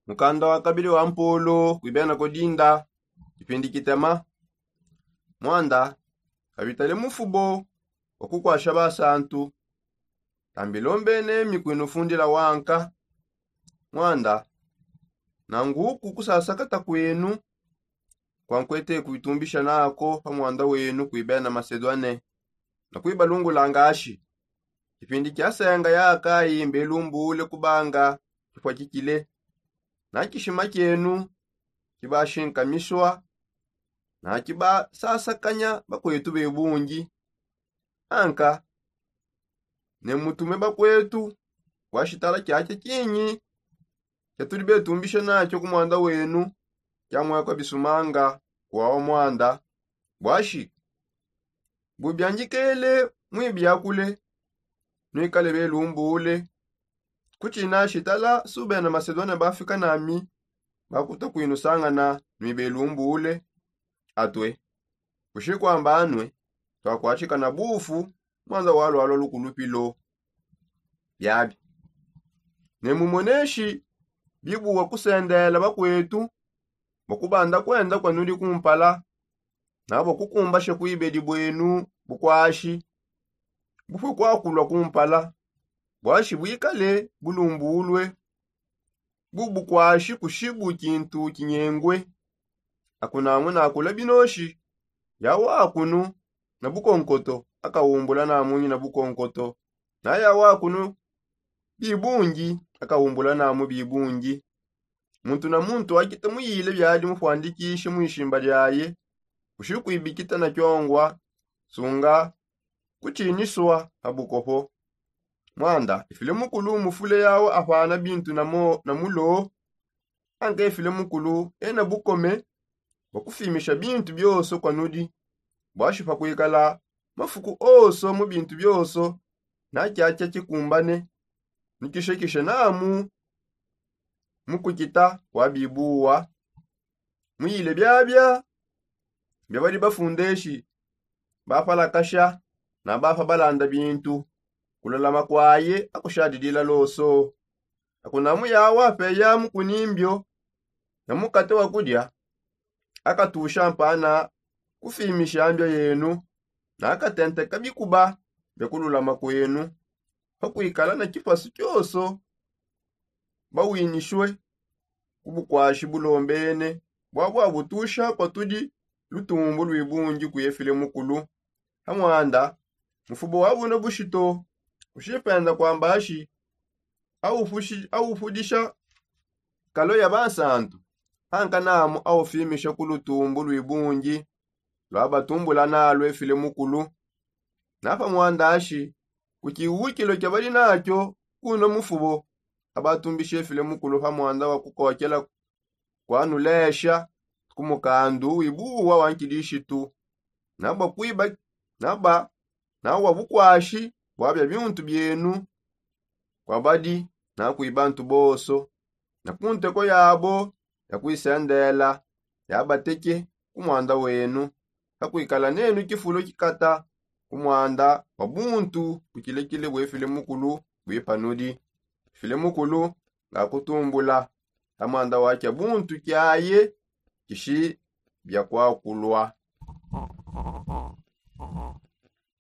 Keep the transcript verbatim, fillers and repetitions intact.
Mukanda wa kabili wa mpolo kuibena kudinda kipindi kitema. Mwanda kabitale mufubo wa kukwasha basantu. Tambilombene mikwinu fundila wanka. Mwanda nanguku kusasakata kwenu kwankwete kuitumbisha nako pa mwanda wenu kuibena masedwane na kuibalungula ngashi kipindi kia senga ya akayi mbelumbule kubanga kipwa kikile na kishima kienu kibashinkamishwa na kibasasakanya bakwetu bebungi. Anka ne mutume bakwetu bwa shitala kiakia kinyi kia tudi betumbisha nakio ku mwanda wenu kia mwekwa bisumanga kuwawa mwanda bwashi bubiangikele mwibiakule nwikale belumbule. Kuchina shitala sube na masedone bafika nami bakuta kwinusangana nwibelumbule atwe kushikwamba anwe twakwachika na bufu mwanza walwalwa lukulupilo. Biabi ne mumoneshi bibuwa kusendela bakwetu bakubanda kwenda kwanudi kumpala nabo kukumbasha kuibedi bwenu bukwashi bufwe kwakulwa kumpala bwashi bwikale bulumbulwe bubukwashi kushibu kintu kinyengwe. Akunamu nakula binoshi yawa akunu na bukonkoto akawumbula namunyi na bukonkoto na yawa akunu bibungi akawumbula namu bibungi. Muntu na muntu akita muyile byadi mufwandikishe mwishimba lyaye kushikwibikita na kyongwa sunga kuchiniswa ha bukopo. Mwanda ifile mukulu mufule yawo afana bintu na mulo anka ifile mukulu ena bukome bwa kufimisha bintu byoso kwanudi bwashi pakwikala mafuku oso mu bintu byoso na kyakya kikumbane ni kishekishe namu mu kukita kwa bibuwa. Muyile byabya bya badi bafundeshi bapalakasha na bapa balanda bintu kulolama kwaye akushadidila loso. Akunamu yawa peya mukunimbyo na mukate wa kudya akatusha mpana kufimisha mbya yenu na akatenteka bikuba bya kululama kwenu pakwikala na kipasu kyoso bawinishwe ku bukwashi bulombene bwabwabutusha patudi lutumbu lwibungi kuyefile mukulu. Ha mwanda mufubo wa buno bushito kushipenda kwambashi awufudisha kalo ya bansantu ankanamu awufimisha ku lutumbu lwibungi lwabatumbula nalwefile mukulu. Na pa mwandashi ku kiwukilo kya bali nakyo kuno mufubo abatumbisha efile mukulu pa mwanda wa kukokela kwanulesha ku mukandu wibuwa wa nkidishitu nabwa kwiba nabwa nawa bukwashi bwabya bintu byenu kwa badi na kwibantu boso na ku nteko yabo ya kwisendela yabateke ku mwanda wenu. Kakwikala nenu kifulo kikata ku mwanda wa buntu bukilekile bwefile mukulu bwipanudi file mukulu nga kutumbula ha mwanda wa kya buntu kyaye kishi bya kwakulwa.